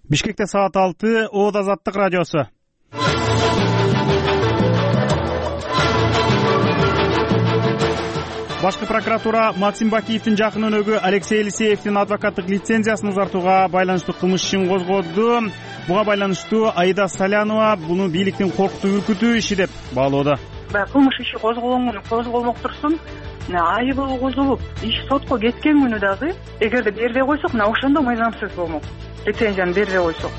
Бишкекте саат 6, Оот Азаттык радиосу. Башкы прокуратура Максим Бакиевдин жакын өнөгү Алексей Елисеевдин адвокаттык лицензиясын узартууга байланыштуу кылмыш ишин козгоду. Буга байланыштуу Аида Салянова буну бийликтин коркутуу үркүтүү иши деп баалоодо. Кылмыш иши козголмок турсун, айыбы козулуп, иш сотко кеткен күнү дагы эгерде бербей койсок, ошондо мыйзамсыз болмок. Лицензияны бербей койсок.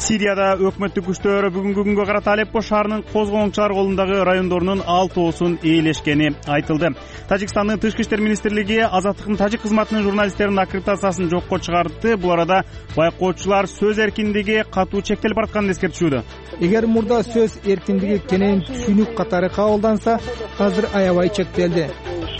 Сирияда өкмөттүк күчтөр бүгүнкү күнгө карата Алеппо шаарынын козголоңчулар колундагы райондорунун 6оосун ээлешкени айтылды. Тажикстандын Тышкы иштер министрлиги Азаттыктын тажик кызматынын журналисттеринин аккредитациясын жокко чыгарды. Бул арада байкоочулар сөз эркиндиги катуу чектелип баратканын эскертишүүдө. Эгер мурда сөз эркиндиги кенен түшүнүк катары кабылданса, азыр аябай чектелди.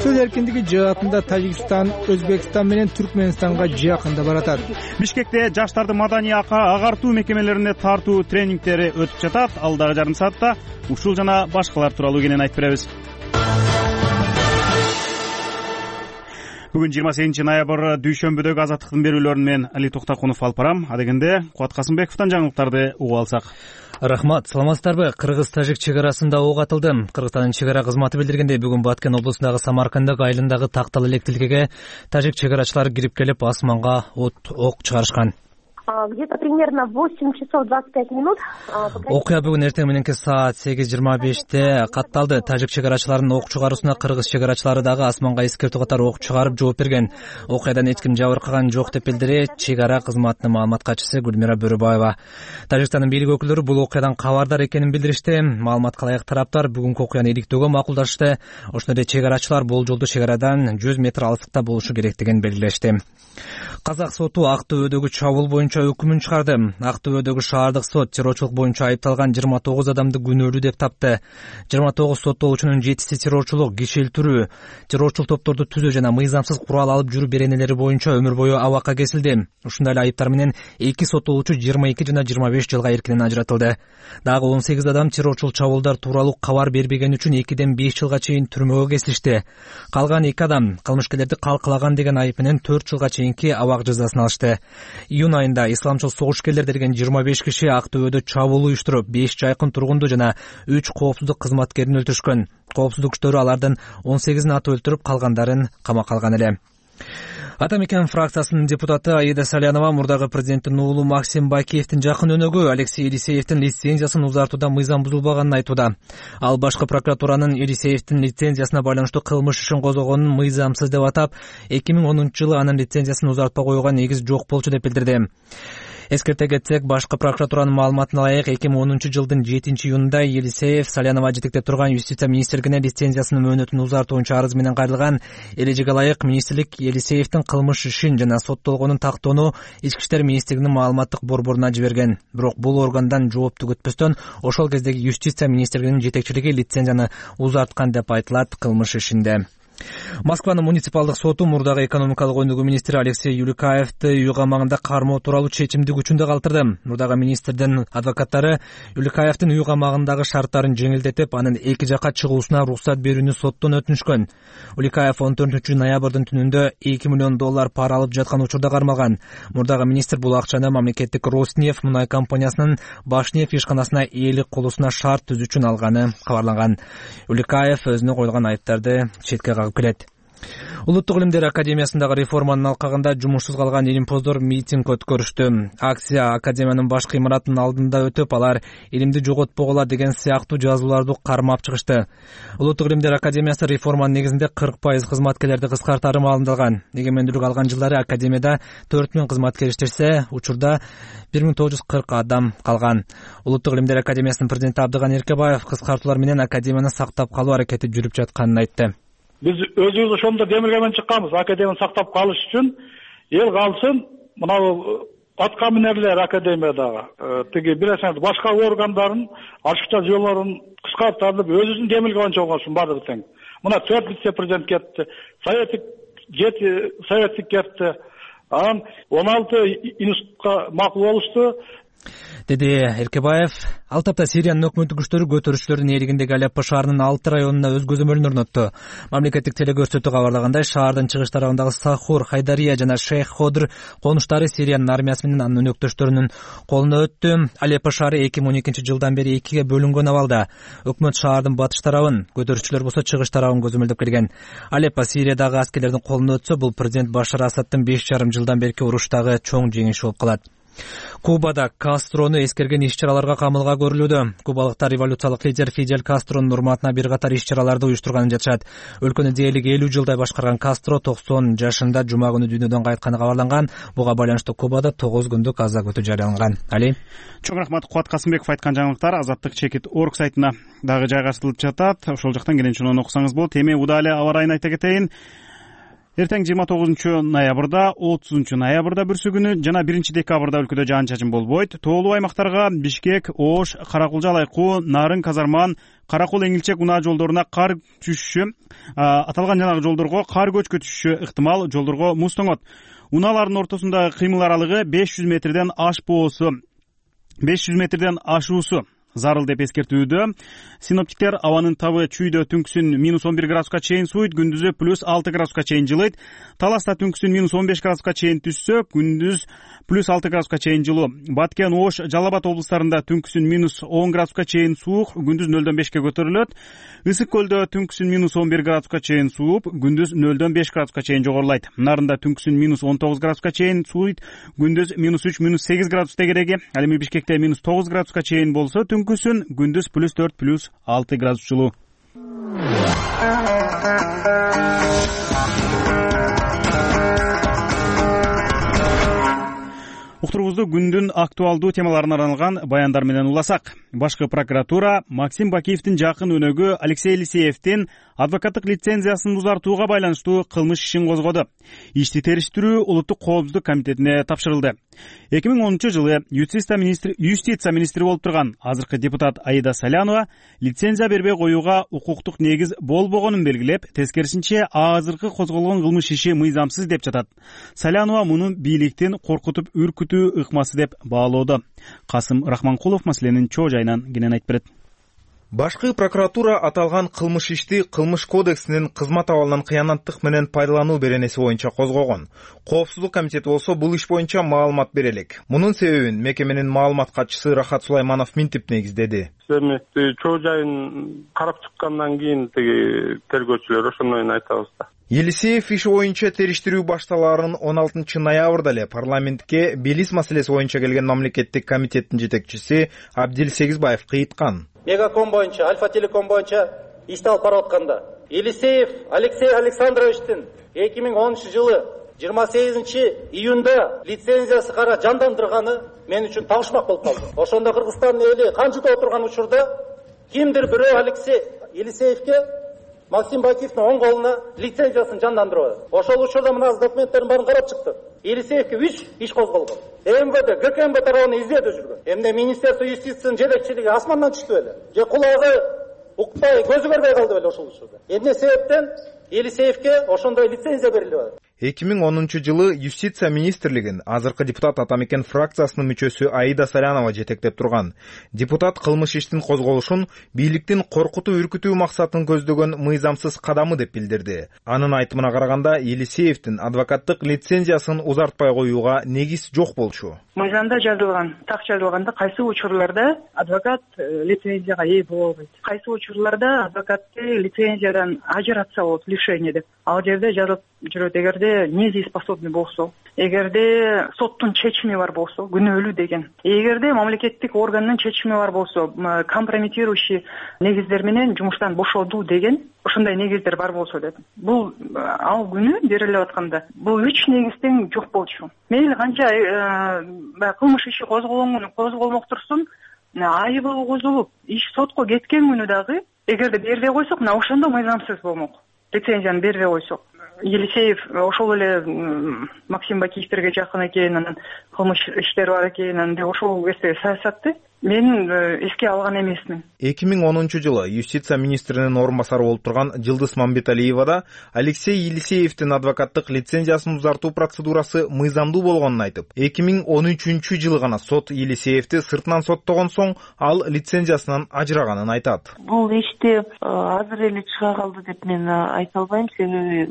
Сөз эркиндиги жаатында Тажикстан, Өзбекстан менен Түркмөнстанга жакында баратат. Бишкекте жаштарды маданий агартуу мекемелерине тартуу тренингдери өтүп жатат. Алдагы жарым саатта ушул жана башкалар тууралуу кенен айтып беребиз. Бүгүн 28 ноябрь дүйшөмбүдөгү Азаттыктын берүүлөрүн мен Али Токтакунов алып барам. Адегенде Кубат Касымбековдон жаңылыктарды угуп алсак. Рахмат, саламатсыздарбы? Кыргыз-тажик чек арасында ок атылды. Кыргызстандын чек ара кызматы билдиргендей, бүгүн Баткен облусундагы Самаркандык айылындагы тактал электилкеге тажик чек арачылары кирип келип, асманга ок чыгарышкан. Где-то примерно 8 часов 25 минут. Окуя бүгүн эртең мененки саат 8:25 катталды. Тажик чек арачыларынын ок чыгаруусуна кыргыз чек арачылары дагы асманга эскертүү катары ок чыгарып жооп берген. Окуядан эч ким жабыркаган жок деп билдирет чек ара кызматынын маалымат катчысы Гүлмира Бөрөбаева. Тажикстандын бийлик өкүлдөрү бул окуядан кабардар экенин билдиришти. Маалыматка ылайык тараптар бүгүнкү окуяны иликтөөгө макулдашты. Ошондой эле чек арачылар болжолдуу чек арадан 100 метр алыстыкта болушу керектигин белгилешти. Казак соту Актөбөдөгү чабуул боюнча өкүмүн чыгарды. Актөбөдөгү шаардык сот террорчулук боюнча айыпталган 29 адамды күнөөлүү деп тапты. 29 соттолуучунун 7си террорчулук, киши өлтүрүү, террорчул топторду түзүү жана мыйзамсыз курал алып жүрүү беренелери боюнча өмүр бою абакка кесилди. Ушундай эле айыптар менен 2 соттолуучу 22 жана 25 жылга эркинен ажыратылды. Дагы 18 адам террорчул чабуулдар тууралуу кабар бербеген үчүн 2ден 5 жылга чейин түрмөгө кесилишти. Калган 2 адам кылмышкерлерди калкалаган деген айып менен 4 жылга чейинки абак жазасын алышты. Июнь айында исламчыл согушкерлер деген 25 киши Актөбөдө чабуул уюштуруп, 5 жайкын тургунду жана 3 коопсуздук кызматкерин өлтүрүшкөн. Коопсуздук күчтөрү алардын 18-ин атып өлтүрүп, калгандарын камакка алган эле. Ата мекен фракциясынын депутаты Аида Салянова мурдагы президенттин уулу Максим Бакиевдин жакын өнөгү Алексей Елисеевдин лицензиясын узартууда мыйзам бузулбаганын айтууда. Ал башкы прокуратуранын Елисеевдин лицензиясына байланыштуу кылмыш ишин козгогонун мыйзамсыз деп атап, 2010-жылы анын лицензиясын узартпай койгон негиз жок болчу деп билдирди. Эскерте кетсек, башкы прокуратуранын маалыматына ылайык 2010-жылдын 7-июнунда Елисеев Салянова жетектеп турган Юстиция министрлигине лицензиясынын мөөнөтүн узартуу боюнча арыз менен кайрылган. Эрежеге ылайык министрлик Елисеевдин кылмыш ишин жана соттолгонун тактоону Ички иштер министрлигинин маалыматтык борборуна жиберген. Бирок бул органдан жоопту күтпөстөн ошол кездеги Юстиция министрлигинин жетекчилиги лицензияны узарткан деп айтылат кылмыш ишинде. Москванын муниципалдык соту мурдагы экономикалык өнүгүү министри Алексей Юликаевди үй камагында кармоо тууралуу чечимди күчүндө калтырды. Мурдагы министрдин адвокаттары Юликаевдин үй камагындагы шарттарын жеңилдетип, анын эки жакка чыгуусуна уруксат берүүнү соттон өтүнүшкөн. Юликаев 14 ноябрдын түнүндө $2 миллион пара алып жаткан учурда кармалган. Мурдагы министр бул акчаны мамлекеттик Роснефть мунай компаниясынын Башнефть ишканасына ээлик кылуусуна шарт түзүү үчүн алганы кабарланган. Юликаев өзүнө койулган айыптарды четке кагып келет. Улуттук илимдер академиясындагы реформанын алкагында жумушсуз калган илимпоздор митинг өткөрүштү. Акция академиянын башкы имаратынын алдында өтүп, алар илимди жоготпогула деген сыяктуу жазууларды кармап чыгышты. Улуттук илимдер академиясы реформанын негизинде 40% кызматкерлерди кыскартары маалымдалган. Эгемендүүлүк алган жылдары академияда 4000 кызматкер иштешсе, учурда 1940 адам калган. Улуттук илимдер академиясынын президенти Абдыган Эркебаев кыскартуулар менен академияны сактап калуу аракети жүрүп жатканын айтты. Биз өзүбүз ошондо демилге менен чыкканбыз. Академияны сактап калыш үчүн эл калсын, мына атка минерлер академиядагы тиги билесиңер башка органдарын ачыкча жолдорун кыскартып өзүбүздүн демилге боюнча болгонсун баардыгы тең. Мына 4 вице-президент кетти, советник кетти. Анан 16 институтка макул болушту. деди Эркебаев. Ал тапта Сириянын өкмөттүк күчтөрү көтөрүүчүлөрдүн ээлигиндеги Алеппо шаарынын 6 районуна өз көзөмөлүн орнотту. Мамлекеттик телекөрсөтүү кабарлагандай, шаардын чыгыш тарабындагы Сахур, Хайдария жана Шейх Ходр конуштары Сириянын армиясы менен анын өнөктөштөрүнүн колуна өттү. Алеппо шаары 2012 жылдан бери 2-ге бөлүнгөн абалда. Өкмөт шаардын батыш тарабын, көтөрүүчүлөр болсо чыгыш тарабын көзөмөлдөп келген. Алеппо Сириядагы аскерлердин колуна өтсө, бул президент Башар Асаддын 5,5 жылдан берки уруштагы чоң жеңиши болуп калат. Кубада Кастрону эскерген иш-чараларга камылга көрүлүүдө. Кубалыктар революциялык лидер Фидель Кастронун урматына бир катар иш-чараларды уюштурганын жатышат. Өлкөнү дээрлик 50 жылдай башкарган Кастро 90 жашында жума күнү дүйнөдөн кайтканы кабарланган. Буга байланыштуу Кубада 9 күндүк аза күтүү жарыяланган. Али. Чоң рахмат. Кубат Касымбеков айткан жаңылыктар Азаттык чекит орг сайтына дагы жайгаштырылып жатат. Ошол жактан келенче окусаңыз болот. Эми Удали аба райын айта кетейин. Эртең 29 ноябрда, 30 ноябрда бүрсү күнү жана 1 декабрда өлкөдө жаан-чачын болбойт. Тоолуу аймактарга Бишкек, Ош, Каракулжа Алайкуу, Нарын, Казарман, Каракул, Эңилчек, Унаа жолдоруна кар түшүшү, аталган жанагы жолдорго кар көчкү түшүшү ыктымал, жолдорго муз тоңот. Унаалардын ортосундагы кыймыл аралыгы 500 метрден ашуусу зарыл деп эскертүүдө. Синоптиктер абанын табы чүйдө түнкүсүн -11 градуска чейин сууйт, күндүзү +6 градуска чейин жылыйт. Таласта түнкүсүн -15 градуска чейин түшсө, күндүз +6 градуска чейин жылуу. Баткен, Ош, Жалал Абад облустарында түнкүсүн -10 градуска чейин суук, күндүз 0-дөн 5-ке көтөрүлөт. Ысык көлдө түнкүсүн -11 градуска чейин сууп, күндүз 0-дөн 5 градуска чейин жогорулайт. Нарында түнкүсүн -19 градуска чейин сууйт, күндүз -3, -8 градус тегереги. Ал эми Бишкекте -9 градуска чейин болсо, түнкүсүн күндүз +4, +6 градус жылуу. Уктуруубузду күндүн актуалдуу темаларына арналган баяндар менен уласак. Башкы прокуратура Максим Бакиевдин жакын өнөгү Алексей Елисеевдин адвокаттык лицензиясын узартууга байланыштуу кылмыш ишин козгоду. Ишти териштирүү Улуттук коопсуздук комитетине тапшырылды. 2010-жылы юстиция министри болуп турган азыркы депутат Аида Салянова лицензия бербей коюуга укуктук негиз болбогонун белгилеп, тескерисинче азыркы козголгон кылмыш иши мыйзамсыз деп жатат. Салянова муну бийликтин коркутуп үркүтүү ыкмасы деп баалоодо. Касым Рахманкулов маселенин чоо жайынан кенен айтып берет. Башкы прокуратура аталган кылмыш ишти Кылмыш кодексинин кызмат абалынан кыянаттык менен пайдалануу беренеси боюнча козгогон. Коопсуздук комитети болсо бул иш боюнча маалымат бере элек. Мунун себебин мекеменин маалымат катчысы Рахат Сулайманов минтип негиздеди. Эми чоо жайын карап чыккандан кийин тергөөчүлөр ошондойн айтабыз да. Елисеев иши боюнча териштирүү башталаарын 16 ноябрда эле парламентке Белиз маселеси боюнча келген мамлекеттик комитеттин жетекчиси Абдил Сегизбаев кыйткан. Мегаком боюнча, Альфа Телеком боюнча ишти алып барып атканда Елисеев Алексей Александровичтин 2010-жылы 28 июнда лицензиясы кара жандандырганы мен үчүн табышмак болуп калды. Ошондо Кыргызстандын эли канчыда отурган учурда кимдир бирөө Алексей Елисеевке Максим Бакиевдин оң колуна лицензиясын жандандырып. Ошол учурда мына документтердин баарын карап чыкты. Елисеевке 3 иш козголгон. МВД, ГКМБ тарабынан издөөдө жүргөн. Эмне Министерство юстициянын жетекчилиги асмандан түштү беле? Же кулагы укпай, көзү көрбөй калды беле ошол учурда? Эмне себептен Елисеевке ошондой лицензия берилип атат? 2010-жылы юстиция министрлигин азыркы депутат Атамекен фракциясынын мүчөсү Аида Салянова жетектеп турган. Депутат кылмыш иштин козголушун бийликтин коркутуу үркүтүү максатын көздөгөн мыйзамсыз кадамы деп билдирди. Анын айтымына караганда, Елисеевдин адвокаттык лицензиясын узартпай коюуга негиз жок болчу. Мыйзамда жазылган, так жазылганда кайсы учурларда адвокат лицензияга ээ боло албайт. Кайсы учурларда адвокатты лицензиядан ажыратса болот, лишение деп. Ал жерде жазылып жүрөт, эгерде недееспособный болсо, эгерде соттун чечими бар болсо, күнөөлүү деген. Эгерде мамлекеттик органдын чечими бар болсо, компрометирующий негиздер менен жумуштан бошотуу деген, ошондой негиздер бар болсо деп. Бул ал күнү берилип атканда, бул 3 негизден жок болчу. Мейли канча кылмыш иши козголмок турсун, айыбы козулуп, иш сотко кеткен күнү дагы эгерде бербей койсок, мына ошондо мыйзамсыз болмок. Лицензияны бербей койсок. Елисеев ошол эле Максим Бакиевтерге жакын экен, анан кылмыш иштери бар экен, ошол кезде саясатты Мен эске алган эмесмин. 2010-жылы юстиция министринин орун басары болуп турган Жылдыз Мамбеталиева да Алексей Елисеевдин адвокаттык лицензиясын узартуу процедурасы мыйзамдуу болгонун айтып, 2013-жылы гана сот Елисеевди сыртынан соттогон соң ал лицензиясынан ажыраганын айтат. Бул ишти азыр эле чыга калды деп мен айта албайм, себеби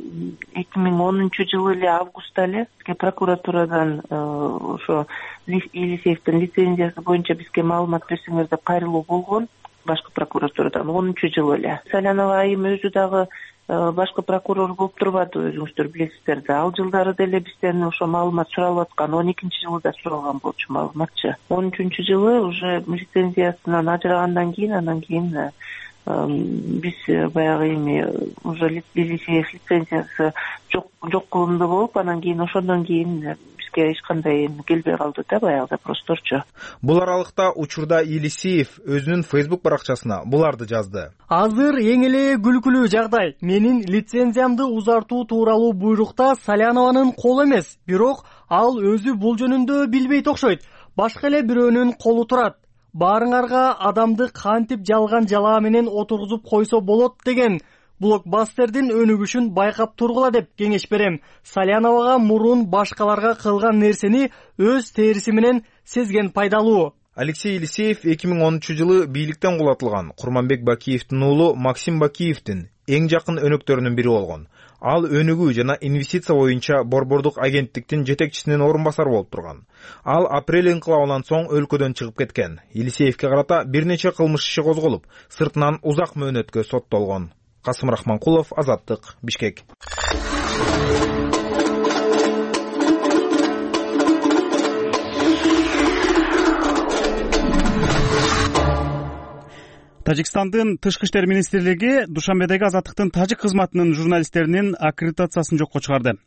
2010-жылы эле августта эле бизге прокуратурадан ошо Елисеевдин лицензиясы боюнча бизге маалымат берсеңер деп кайрылуу болгон башкы прокуратурадан 10-жылы эле. Салянова айым өзү дагы башкы прокурор болуп турбады, өзүңүздөр билесиздер да. Ал жылдары деле бизден ошо маалымат суралып аткан, 12-жылы да суралган болчу маалыматчы. 13-жылы уже лицензиясынан ажырагандан кийин, анан кийин биз баягы эми уже Елисеев лицензиясы жок кылынды болуп, анан кийин ошондон кийин эч кандай келбей калды да, баягы просторчу. Бул аралыкта учурда Елисеев өзүнүн Facebook баракчасына буларды жазды. Азыр эң эле күлкүлүү жагдай. Менин лицензиямды узартуу тууралуу буйрукта Салянованын колу эмес, бирок ал өзү бул жөнүндө билбейт окшойт. Башка эле бирөөнүн колу турат. Баарыңарга адамды кантип жалган жалаа менен отургузуп койсо болот деген блокбастердин өнүгүшүн байкап тургула деп кеңеш берем. Саляновага мурун башкаларга кылган нерсени өз териси менен сезген пайдалуу. Алексей Елисеев 2013-жылы бийликтен кулатылган Курманбек Бакиевдин уулу Максим Бакиевдин эң жакын өнөктөрүнүн бири болгон. Ал өнүгүү жана инвестиция боюнча борбордук агенттиктин жетекчисинин орун басары болуп турган. Ал апрель инкылабынан соң өлкөдөн чыгып кеткен. Елисеевге карата бир нече кылмыш иши козголуп, сыртынан узак мөөнөткө соттолгон. Касым Рахманкулов, Азаттык, Бишкек. Тажикстандын Тышкы иштер министрлиги Душанбедеги Азаттыктын тажик кызматынын журналисттеринин аккредитациясын жокко чыгарды.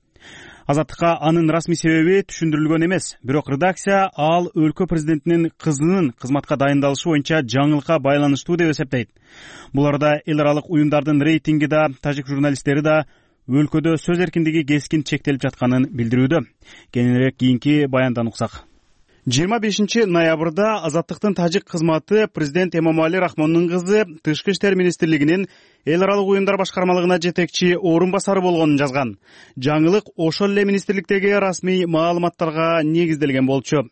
Азаттыкка анын расмий себеби түшүндүрүлгөн эмес, бирок редакция ал өлкө президентинин кызынын кызматка дайындалышы боюнча жаңылыкка байланыштуу деп эсептейт. Бул арада эл аралык уюмдардын рейтинги да, тажик журналисттери да өлкөдө сөз эркиндиги кескин чектелип жатканын билдирүүдө. Кененирээк кийинки баяндан уксак. 25 ноябрда Азаттыктын тажик кызматы президент Эмомали Рахмондун кызы Тышкы иштер министрлигинин эл аралык уюмдар башкармалыгына жетекчи орун басары болгонун жазган. Жаңылык ошол эле министрликтеги расмий маалыматтарга негизделген болчу.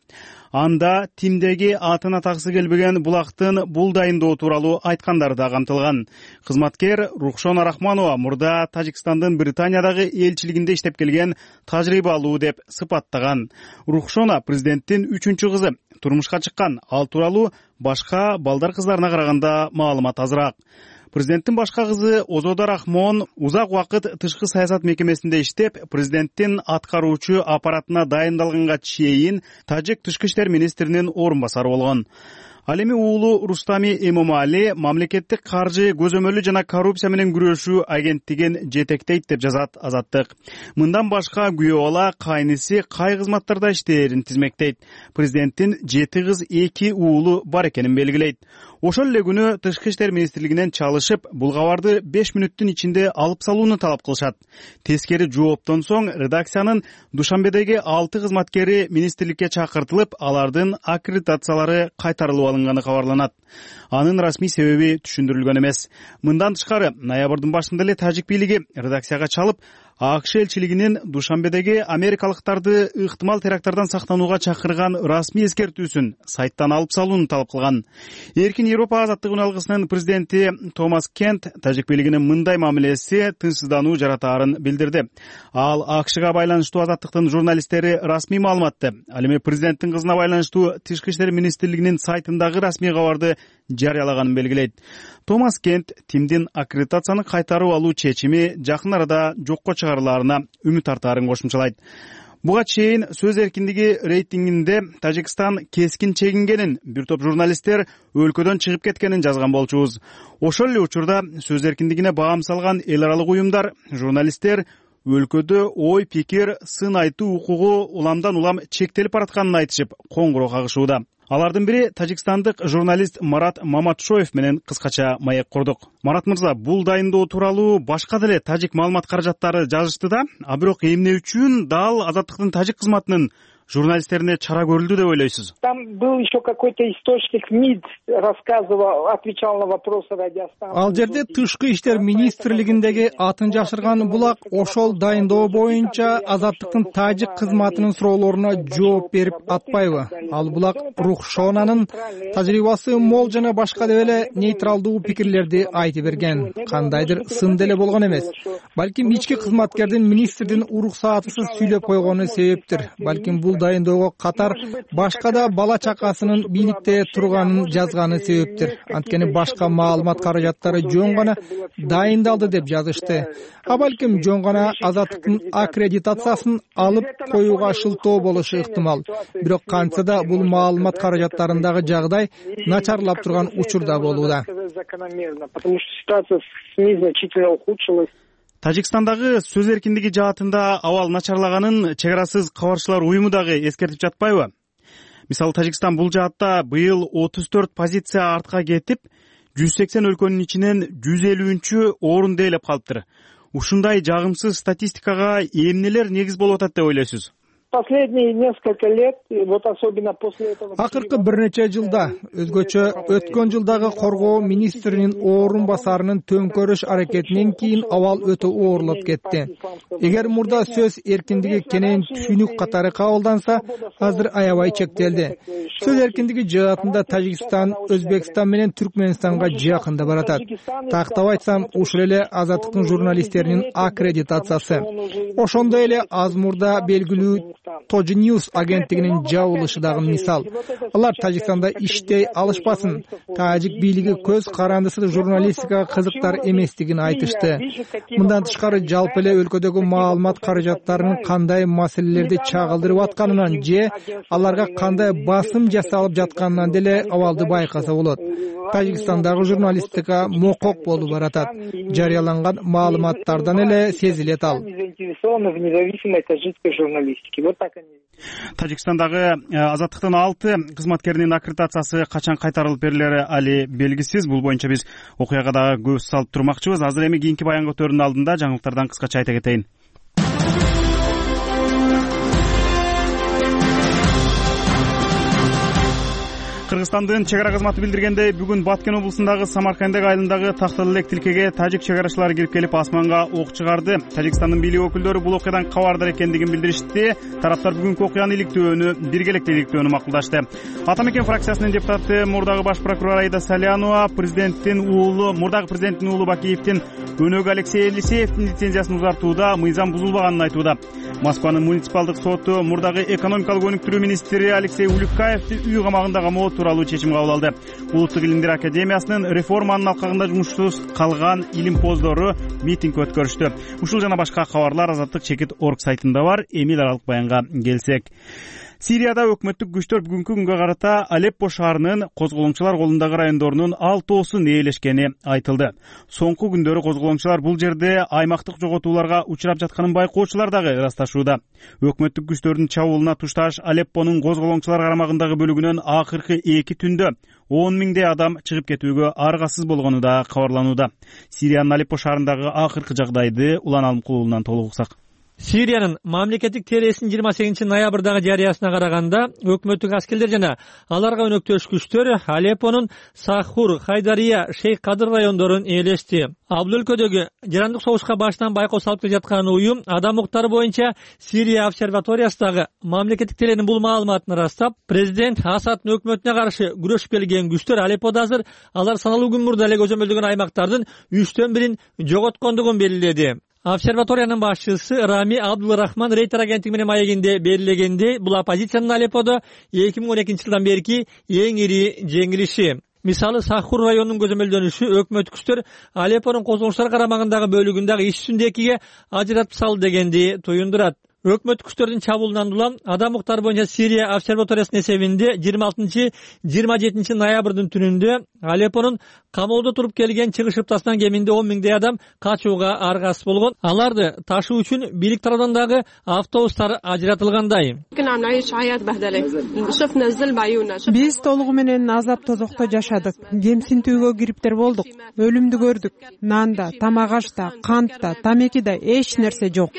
Анда тимдеги атын атаксы келбеген булактын бул дайындоо тууралуу айткандары да камтылган. Кызматкер Рухшона Рахманова мурда Тажикстандын Британиядагы элчилигинде иштеп келген тажрыйбалуу деп сыпаттаган. Рухшона президенттин 3-кызы турмушка чыккан. Ал тууралуу башка балдар кыздарына караганда маалымат азыраак. Президенттин башка кызы Озода Рахмон узак убакыт тышкы саясат мекемесинде иштеп, президенттин аткаруучу аппаратына дайындалганга чейин тажик тышкы иштер министринин орун басары болгон. Ал эми уулу Рустами Эмомали мамлекеттик каржы көзөмөлү жана коррупция менен күрөшүү агенттигин жетектейт деп жазат Азаттык. Мындан башка күйөө бала кайниси кай кызматтарда иштээрин тизмектейт. Президенттин 7 кыз 2 уулу бар экенин белгилейт. Ошол эле күнү Тышкы иштер министрлигинен чалышып, бул кабарды 5 мүнөттүн ичинде алып салууну талап кылышат. Тескери жооптон соң редакциянын Душанбедеги 6 кызматкери министрликке чакыртылып, алардын аккредитациялары кайтарылып алынганы кабарланат. Анын расмий себеби түшүндүрүлгөн эмес. Мындан тышкары, ноябрдын башында эле тажик бийлиги редакцияга чалып, АКШ элчилигинин Душанбедеги америкалыктарды ыктымал теракттардан сактанууга чакырган расмий эскертүүсүн сайттан алып салууну талап кылган. Эркин Европа азаттык үн алгысынын президенти Томас Кент тажик бийлигинин мындай мамилеси тынчсыздануу жаратаарын билдирди. Ал АКШга байланыштуу азаттыктын журналисттери расмий маалыматты, ал эми президенттин кызына байланыштуу Тышкы иштер министрлигинин сайтындагы расмий кабарды жарыялаганын белгилейт. Томас Кент тимдин аккредитацияны кайтарып алуу чечими жакын арада жокко чыгарылаарына үмүт артаарын кошумчалайт. Буга чейин сөз эркиндиги рейтингинде Тажикстан кескин чегингенин, бир топ журналисттер өлкөдөн чыгып кеткенин жазган болчубуз. Ошол эле учурда сөз эркиндигине баам салган эл аралык уюмдар, журналисттер өлкөдө ой, пикир, сын айтуу укугу уламдан улам чектелип баратканын айтышып, коңгуроо кагышууда. Алардын бири тажикстандык журналист Марат Маматшоев менен кыскача маек курдук. Марат мырза, бул дайындоо тууралуу башка деле тажик маалымат каражаттары жазышты да, а бирок эмне үчүн дал Азаттыктын тажик кызматынын журналисттерине чара көрүлдү деп ойлойсуз? Там был еще какой-то источник МИД, рассказывал, отвечал на вопросы радиостанции. Ал жерде Тышкы иштер министрлигиндеги атын жашырган булак ошол дайындоо боюнча Азаттыктын тажик кызматынын суроолоруна жооп берип атпайбы? Ал булак Рухшонанын тажрыйбасы мол жана башка деп эле нейтралдуу пикирлерди айтып берген. Кандайдыр сын деле болгон эмес. Балким ички кызматкердин министрдин уруксаатысыз сүйлөп койгону себептир. Балким бул дайындоого катар башка да бала чакасынын бийликте турганын жазганы себептир. Анткени башка маалымат каражаттары жөн гана дайындалды деп жазышты. А балким жөн гана Азаттыктын аккредитациясын алып коюуга шылтоо болушу ыктымал. Бирок кантса да бул маалымат каражаттарындагы жагдай начарлап турган учурда болууда. Потому что ситуация с СМИ значительно ухудшилась. Тажикстандагы сөз эркиндиги жаатында абал начарлаганын Чек арасыз кабарчылар уюму дагы эскертип жатпайбы? Мисалы Тажикстан бул жаатта быйыл 34 позиция артка кетип, 180 өлкөнүн ичинен 150-чү орунда ээлеп калыптыр. Ушундай жагымсыз статистикага эмнелер негиз болуп атат деп ойлойсуз? Последние несколько лет, вот особенно после этого... Акыркы бир нече жылда, өзгөчө өткөн жылдагы коргоо министринин орун басарынын төңкөрүш аракетинен кийин абал өтө оорлоп кетти. Эгер мурда сөз эркиндиги кенен түшүнүк катары кабылданса, азыр аябай чектелди. Сөз эркиндиги жаатында Тажикстан, Өзбекстан менен Түркмөнстанга жакында баратат. Тактап айтсам, ушул эле Азаттыктын журналисттеринин аккредитациясы. Ошондой эле аз мурда белгилүү Тоджи Ньюс агенттигинин жабылышы дагы мисал. Алар Тажикстанда иштей алышпасын, тажик бийлиги көз карандысыз журналистикага кызыктар эместигин айтышты. Мындан тышкары жалпы эле өлкөдөгү маалымат каражаттарынын кандай маселелерди чагылдырып атканынан же аларга кандай басым жасалып жатканынан деле абалды байкаса болот. Тажикстандагы журналистика мокок болуп баратат. Жарыяланган маалыматтардан эле сезилет ал. Тажикстандагы Азаттыктын 6 кызматкеринин аккредитациясы качан кайтарылып берилери али белгисиз. Бул боюнча биз окуяга дагы көз салып турмакчыбыз. Азыр эми кийинки баян көтөрүүнүн алдында жаңылыктардан кыскача айта кетейин. Кыргызстандын чек ара кызматы билдиргендей, бүгүн Баткен облусундагы Самаркандек айылындагы Тактал элек тилкеге тажик чек арачылары кирип келип асманга ок чыгарды. Тажикстандын бийлик өкүлдөрү бул окуядан кабардар экендигин билдиришти. Тараптар бүгүнкү окуяны биргеликте иликтөөнү макулдашты. Ата Мекен фракциясынын депутаты, мурдагы баш прокурор Аида Салянова мурдагы президенттин уулу Бакиевдин өнөгү Алексей Елисеевдин лицензиясын узартууда мыйзам бузулбаганын айтууда. Москванын муниципалдык соту мурдагы экономикалык өнүктүрүү министри Алексей Улюкаевди үй камагында камоо тууралуу чечим кабыл алды. Улуттук илимдер академиясынын реформанын алкагында жумушсуз калган илимпоздору митинг өткөрүштү. Ушул жана башка кабарлар Азаттык.org сайтында бар. Эми даралык баянга келсек. Сирияда өкмөттүк күчтөр бүгүнкү күнгө карата Алеппо шаарынын козголоңчулар колундагы райондорунун 6-оосун ээлешкени айтылды. Соңку күндөрү козголоңчулар бул жерде аймактык жоготууларга учурап жатканын байкоочулар дагы ырасташууда. Өкмөттүк күчтөрдүн чабуулуна тушташ Алеппонун козголоңчулар карамагындагы бөлүгүнөн акыркы 2 түндө 10 миңдей адам чыгып кетүүгө аргасыз болгону да кабарланууда. Сириянын Алеппо шаарындагы акыркы жагдайды Улан Алымкулуулунан толук уксак. Сириянын мамлекеттик телесинин 28 ноябрдагы жарыясына караганда, өкмөттүк аскерлер жана аларга өнөктөш күчтөр Алеппонун Сахур, Хайдария, Шейх Кадыр райондорун ээлешти. Ал өлкөдөгү жарандык согушка башынан байкоо салып келе жаткан уюм адам укуктары боюнча Сирия обсерваториясындагы мамлекеттик теленин бул маалыматын ырастап, президент Асадтын өкмөтүнө каршы күрөшүп келген күчтөр Алепподо азыр алар саналуу күн мурда эле көзөмөлдөгөн аймактардын 3/1 жоготкондугун белгиледи. Обсерваториянын башчысы Рами Абдулрахман Рейтер агенттиги менен маегинде белгилегенде, бул оппозициянын Алепподо 2012 жылдан берки эң ири жеңилиши. Мисалы, Сахур районунун көзөмөлдөнүшү өкмөт күчтөр Алеппонун козголоңчулар карамагындагы бөлүгүндөгү иш жүзүндө экиге ажыратып салды дегенди туюндурат. Өкмөт күчтөрдүн чабуулунан улам адам укуктары боюнча Сирия обсерваториясынын эсебинде 26-27 ноябрдын түнүндө Алеппонун камоодо туруп келген чыгыш ыптасынан кеминде 10 миңдей адам качууга аргасыз болгон. Аларды ташуу үчүн бийлик тарабынан дагы автобустар ажыратылгандай. Биз толугу менен азап тозокто жашадык. Кемсинтүүгө кириптер болдук. Өлүмдү көрдүк. Нанда, тамак ашта, кантта, тамекиде эч нерсе жок.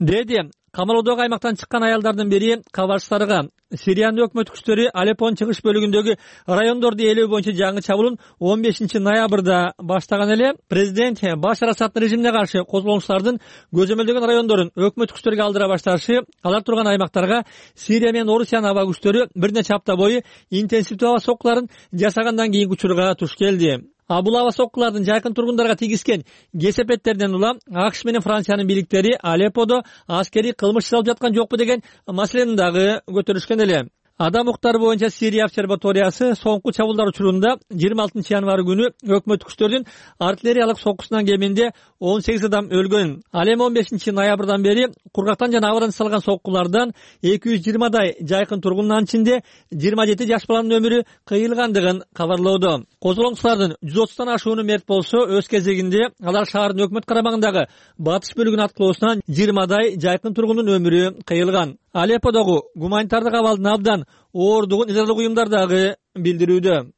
Деди камалоодогу аймактан чыккан аялдардын бири кабарчыларга Сириянын өкмөт күчтөрү Алеппонун чыгыш бөлүгүндөгү райондорду ээлөө боюнча жаңы чабуулун 15-ноябрда баштаган эле президент Башар Асаддын режимине каршы козголгучулардын көзөмөлдөгөн райондорун өкмөт күчтөрүгө алдыра башташы алар турган аймактарга Сирия менен Орусиянын аба күчтөрү бир нече апта бою интенсивдүү аба соккуларын жасагандан кийинки учурга туш келди. Бул аба соккулардын жайкын тургундарга тийгизген кесепеттерден улам АКШ менен Франциянын бийликтери Алепподо аскерий кылмыш жасалып жаткан жокпу деген маселени дагы көтөрүшкөн эле. Адам укуктары боюнча Сирия обсерваториясы соңку чабуулдар учурунда 26 январь күнү өкмөт күчтөрүнүн артиллериялык соккусунан кеминде 18 адам өлгөн. Ал эми 15 ноябрдан бери кургактан жана абадан жасалган соккулардан 220дай жайкын тургундун ичинде 27 жаш баланын өмүрү кыйылгандыгын кабарлоодо. Козголгучулардын 130тан ашууну мерт болсо, өз кезегинде алар шаардын өкмөт карамагындагы батыш бөлүгүнүн аткылоосунан 20дай жайкын тургундун өмүрү кыйылган. Алепподогу гуманитардык абалдын абдан оордугун израилдик уюмдар дагы билдирүүдө.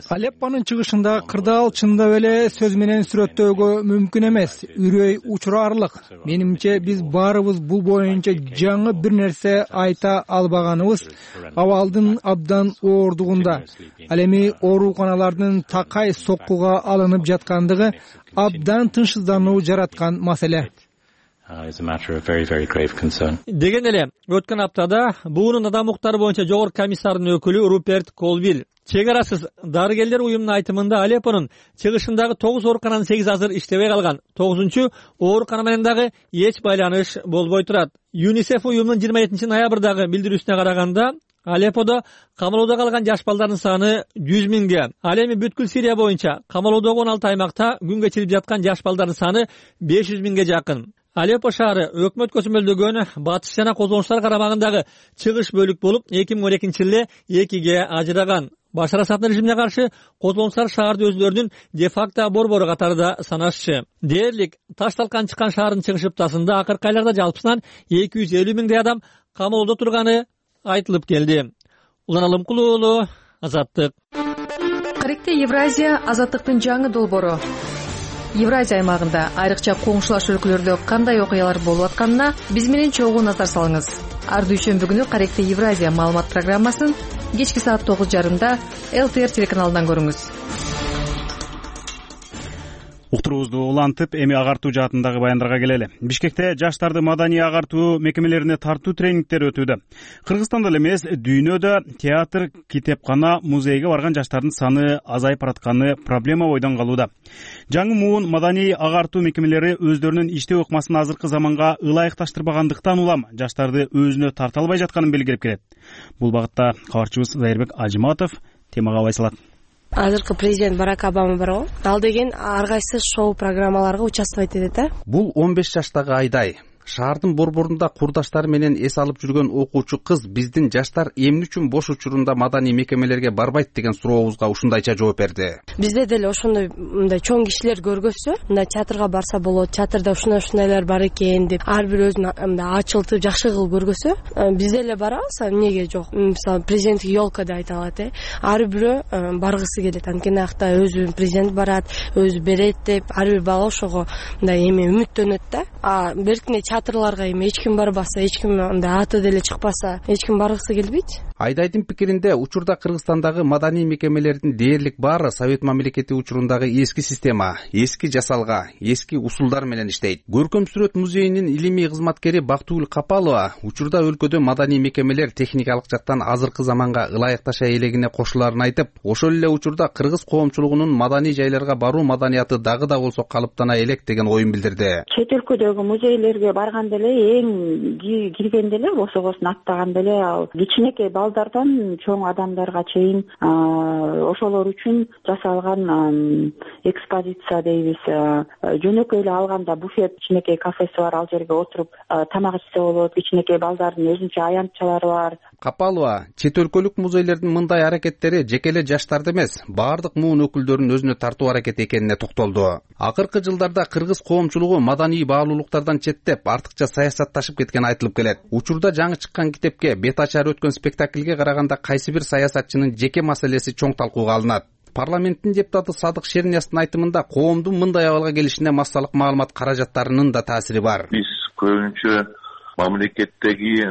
Алеппонун чыгышындагы кырдаал чындап эле сөз менен сүрөттөөгө мүмкүн эмес, үрөй учурарлык. Менимче биз баарыбыз бул боюнча жаңы бир нерсе айта албаганыбыз абалдын абдан оордугунда. Ал эми ооруканалардын такай соккуга алынып жаткандыгы абдан тынчсыздануу жараткан маселе. Деген эле өткөн аптада буунун адам укуктары боюнча жогорку комиссарынын өкүлү Руперт Колвилл чек арасыз дарыгерлер уюмунун айтымында Алеппонун чыгышындагы 9 оорукананын 8 азыр иштебей калган. 9-чу оорукана менен дагы эч байланыш болбой турат. ЮНИСЕФ уюмунун 27 ноябрдагы билдирүүсүнө караганда Алепподо камалоодо калган жаш балдардын саны 100 миңге. Ал эми бүткүл Сирия боюнча камалоодогу 16 аймакта күн кечирип жаткан жаш балдардын саны 500 миңге жакын. Алеппо шаары өкмөт көзөмөлдөгөн батыш жана козголгучулар карамагындагы чыгыш бөлүк болуп 2012-жылы 2ге ажыраган. Башар Асаддын режимине каршы козголгучулар шаарды өзлөрүнүн де-факто борбору катарында санашчы. Дээрлик Таш-талкан чыккан шаардын чыгыш ыптасында акыркы айларда жалпысынан 250 миңдей адам камалоодо турганы айтылып келди. Улан Алымкулуу уулу, Азаттык. Каректе Евразия азаттыктын жаңы долбоору. Евразия аймагында айрыкча коңшулаш өлкөлөрдө кандай окуялар болуп атканына биз менен чогуу назар салыңыз. Ар дүйшөмбү күнү Каректе Евразия маалымат программасын кечки саат 9:30 ЛТР телеканалынан көрүңүз. Уктуруубузду улантып, эми агартуу жаатындагы баяндарга келели. Бишкекте жаштарды маданий агартуу мекемелерине тартуу тренингдер өтүүдө. Кыргызстанда эле эмес, дүйнөдө театр, китепкана, музейге барган жаштардын саны азайып баратканы проблема бойдон калууда. Жаңы муун маданий агартуу мекемелери өздөрүнүн иштөө ыкмасын азыркы заманга ылайыкташтырбагандыктан улам жаштарды өзүнө тарта албай жатканын белгилеп келет. Бул багытта кабарчыбыз Зайырбек Ажыматов темага бай салат. Азыркы президент Барак Обама барго. Ал деген ар кайсы шоу программаларга участвовать этет да. Бул 15 жаштагы Айдай. Шаардын борборунда курдаштары менен эс алып жүргөн окуучу кыз биздин жаштар эмне үчүн бош учурунда маданий мекемелерге барбайт деген сурообузга ушундайча жооп берди. Бизде деле ошондой мындай чоң кишилер көргөзсө, мындай театрга барса болот, театрда ушундайлар бар экен деп ар бир өзүн мындай ачылтып жакшы кылып көргөзсө, бизде эле барабыз, эмнеге жок? Мисалы, президенттик ёлка деп айта алат, ар бирөө баргысы келет. Анткени акта өзү президент барат, өзү берет деп ар бир бала ошого мындай эме үмүттөнөт да. А беркине театрларга эми эч ким барбаса, эч ким андай аты деле чыкпаса, эч ким баргысы келбейт. Айдайдын пикиринде учурда Кыргызстандагы маданий мекемелердин дээрлик баары Совет мамлекети учурундагы эски система, эски жасалга, эски усулдар менен иштейт. Көркөм сүрөт музейинин илимий кызматкери Бактыгүл Капалова учурда өлкөдө маданий мекемелер техникалык жактан азыркы заманга ылайыкташа элегине кошулаарын айтып, ошол эле учурда кыргыз коомчулугунун маданий жайларга баруу маданияты дагы да болсо калыптана элек деген оюн билдирди. Чет өлкөдөгү музейлерге барганда эле эң киргенде эле босогосун аттаганда эле ал кичинекей балдардан чоң адамдарга чейин ошолор үчүн жасалган экспозиция дейбиз. Жөнөкөй эле алганда буфет, кичинекей кафеси бар, ал жерге отуруп тамак ичсе болот. Кичинекей балдардын өзүнчө аянтчалары бар. Капалова чет өлкөлүк музейлердин мындай аракеттери жеке эле жаштарды эмес, баардык муун өкүлдөрүн өзүнө тартуу аракет экенине токтолду. Акыркы жылдарда кыргыз коомчулугу маданий баалуулуктардан четтеп, артыкча саясатташып кеткени айтылып келет. Учурда жаңы чыккан китепке, бет ачар өткөн спектакльге караганда кайсы бир саясатчынын жеке маселеси чоң талкууга алынат. Парламенттин депутаты Садык Шерниястын айтымында коомдун мындай абалга келишине массалык маалымат каражаттарынын да таасири бар. Биз көбүнчө мамлекеттеги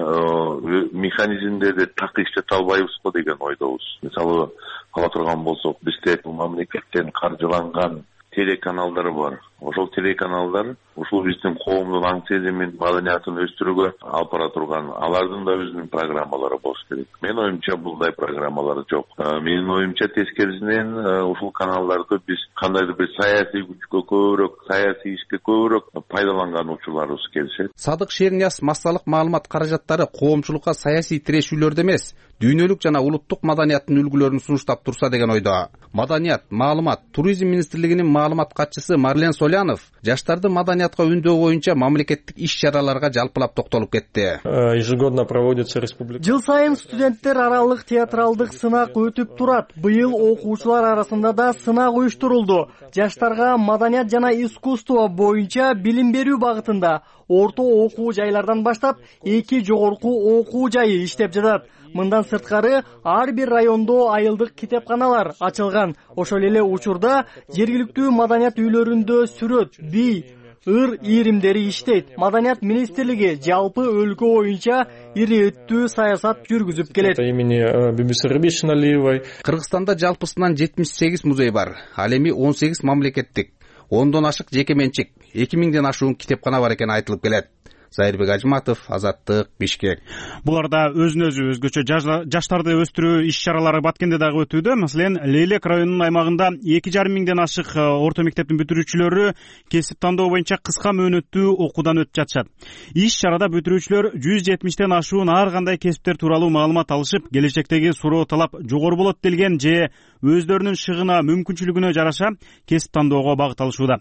механизмдерди так иштете албайбызбы деген ойдобуз. Мисалы ала турган болсок, бизде мамлекеттен каржыланган телеканалдар бар. Ошол телеканалдар ушул биздин коомдун аң сезимин, маданиятын өстүрүүгө алып бара турган, алардын да өзүнүн программалары болуш керек. Менин оюмча булдай программалар жок. Менин оюмча тескерисинен ушул каналдарды биз кандайдыр бир саясий күчкө көбүрөөк, саясий ишке көбүрөөк пайдаланган учурларыбыз келишет. Садык Шернияс массалык маалымат каражаттары коомчулукка саясий тирешүүлөрдө эмес, дүйнөлүк жана улуттук маданияттын үлгүлөрүн сунуштап турса деген ойдо. Маданият, маалымат, туризм министрлигинин маалымат катчысы Марлен Солянов жаштарды маданиятка үндөө боюнча мамлекеттик иш-чараларга жалпылап токтолуп кетти. Ежегодно проводится республика. Жыл сайын студенттер аралык театралдык сынак өтүп турат. Быйыл окуучулар арасында да сынак уюштурулду. Жаштарга маданият жана искусство боюнча билим берүү багытында орто окуу жайлардан баштап 2 жогорку окуу жайы иштеп жатат. Мындан сырткары ар бир райондо айылдык китепканалар ачылган. Ошол эле учурда жергиликтүү маданият үйлөрүндө сүрөт, бий, ыр ийримдери иштейт. Маданият министрлиги жалпы өлкө боюнча ириеттүү саясат жүргүзүп келет. Имени Бибисары Бишналиевой. Кыргызстанда жалпысынан 78 музей бар. Ал эми 18 мамлекеттик, 10дон ашык жеке менчик, 2000ден ашуун китепкана бар экени айтылып келет. Зайырбек Ажматов, Азаттык, Бишкек. Буларда өзүнө өзгөчө жаштарды өстүрүү иш-чаралары Баткенде дагы өтүүдө. Маселен, Лейлек районунун аймагында 2,5 ашык орто мектептин бүтүрүүчүлөрү кесип тандоо боюнча кыска мөөнөттүү окуудан өтүп жатышат. Иш-чарада бүтүрүүчүлөр 170ден ашуун ар кандай кесиптер тууралуу маалымат алышып, келечектеги суроо талап жогору болот делген же өздөрүнүн шыгына мүмкүнчүлүгүнө жараша кесип тандоого багыт алышууда.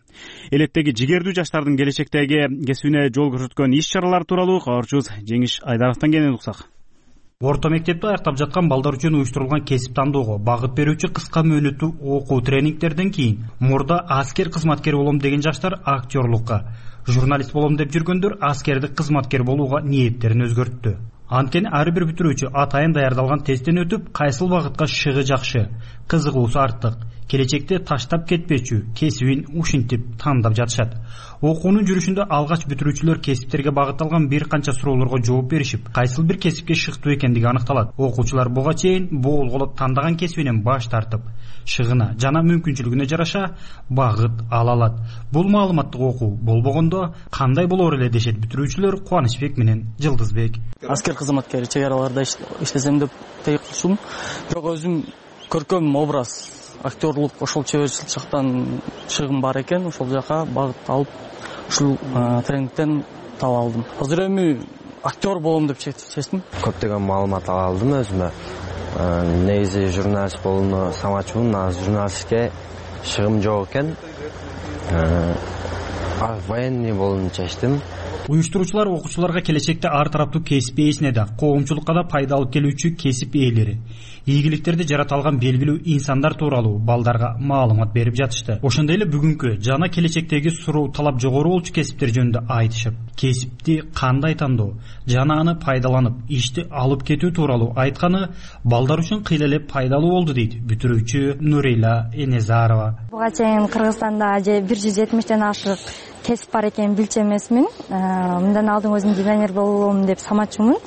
Электеги жигердүү жаштардын келечектеги кесибине жол көрсөткөн иш-чаралар тууралуу кабарчыбыз Жеңиш Айдаровдон кенен уксак. Орто мектепти аяктап жаткан балдар үчүн уюштурулган кесип тандоого багыт берүүчү кыска мөөнөттүү окуу тренингтерден кийин мурда аскер кызматкер болом деген жаштар актерлукка, журналист болом деп жүргөндөр аскердик кызматкер болууга ниеттерин өзгөрттү. Анткени ар бир бүтүрүүчү атайын даярдалган тесттен өтүп, кайсыл багытка шыгы жакшы, кызыгуусу артык, келечекте таштап кетпечү кесибин ушинтип тандап жатышат. Окуунун жүрүшүндө алгач бүтүрүүчүлөр кесиптерге багытталган бир канча суроолорго жооп беришип, кайсыл бир кесипке шыктуу экендиги аныкталат. Окуучулар буга чейин боолголоп тандаган кесибинен баш тартып, шыгына жана мүмкүнчүлүгүнө жараша багыт ала алат. Бул маалыматтык окуу болбогондо кандай болор эле дешет бүтүрүүчүлөр Кубанычбек менен Жылдызбек. Аскер кызматкери чек араларда иштесем деп тейик кылышым. Бирок өзүм көркөм образ, актерлук ошол чеберчилик жактан шыгым бар экен, ошол жака багыт алып ушул тренингден таап алдым. Азыр эми актер болом деп чечтим. Көптөгөн маалымат ала алдым өзүмө. Негизи журналист болууну самачумун, азыр журналистке шыгым жок экен. Военный болууну чечтим. Уюштуруучулар окуучуларга келечекте ар тараптуу кесип ээсине да, коомчулукка да пайда алып келүүчү кесип ээлери, ийгиликтерди жарата алган белгилүү инсандар тууралуу балдарга маалымат берип жатышты. Ошондой эле бүгүнкү жана келечектеги суроо талап жогору болчу кесиптер жөнүндө айтышып, кесипти кандай тандоо жана аны пайдаланып, ишти алып кетүү тууралуу айтканы балдар үчүн кыйла эле пайдалуу болду дейт бүтүрүүчү Нурейла Энезарова. Буга чейин Кыргызстанда 170ден ашык кесип бар экенин билчү эмесмин. Мындан алдын өзүм дизайнер болом деп самачумун.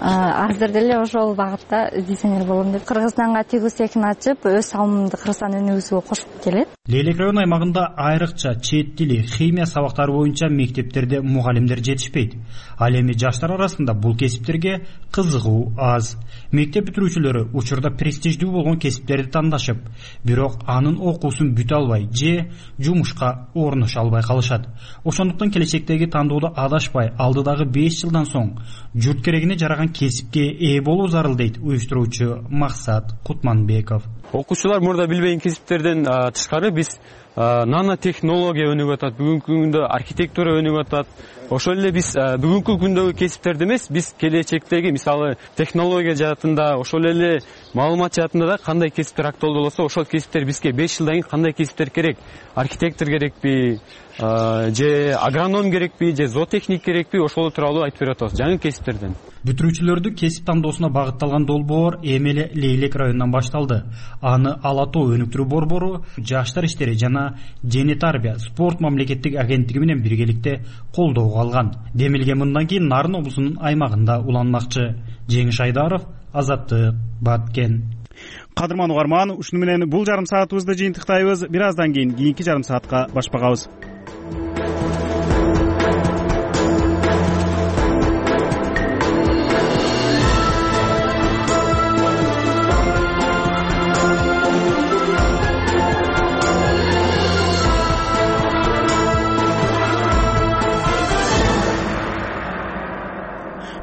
Азыр деле ошол багытта дизайнер болом деп Кыргызстанга тигүү цехин ачып, өз салымымды Кыргызстан өнүгүүсүгө кошуп келет. Лейлек район аймагында айрыкча чет тили, химия сабактары боюнча мектептерде мугалимдер жетишпейт. Ал эми жаштар арасында бул кесиптерге кызыгуу аз. Мектеп бүтүрүүчүлөрү учурда престиждүү болгон кесиптерди тандашып, бирок анын окуусун бүтө албай же жумушка орношо албай калышат. Ошондуктан келечектеги тандоодо адашпай, алдыдагы 5 жылдан соң журт керегине жараган кесипке ээ болуу зарыл дейт уюштуруучу Максат Кутманбеков. Окуучулар мурда билбеген кесиптерден тышкары биз нанотехнология өнүгүп атат, бүгүнкү күндө архитектура өнүгүп атат. Ошол эле биз бүгүнкү күндөгү кесиптерди эмес, биз келечектеги мисалы технология жаатында, ошол эле маалымат жаатында да кандай кесиптер актуалдуу болсо, ошол кесиптер бизге 5 жылдан кийин кандай кесиптер керек? Архитектор керекпи, же агроном керекпи, же зоотехник керекпи? Ошол тууралуу айтып берип атабыз жаңы кесиптерден. Бүтүрүүчүлөрдү кесип тандоосуна багытталган долбоор эми эле Лейлек районунан башталды. Аны Ала тоо өнүктүрүү борбору, Жаштар иштери жана Дене тарбия спорт мамлекеттик агенттиги менен биргеликте колдоого алган. Демилге мындан кийин Нарын облусунун аймагында уланмакчы. Жеңиш Айдаров, Азаттык, Баткен. Кадырман угарман, ушуну менен бул жарым саатыбызды жыйынтыктайбыз. Бир аздан кийин кийинки жарым саатка башпагабыз.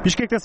Бишкекте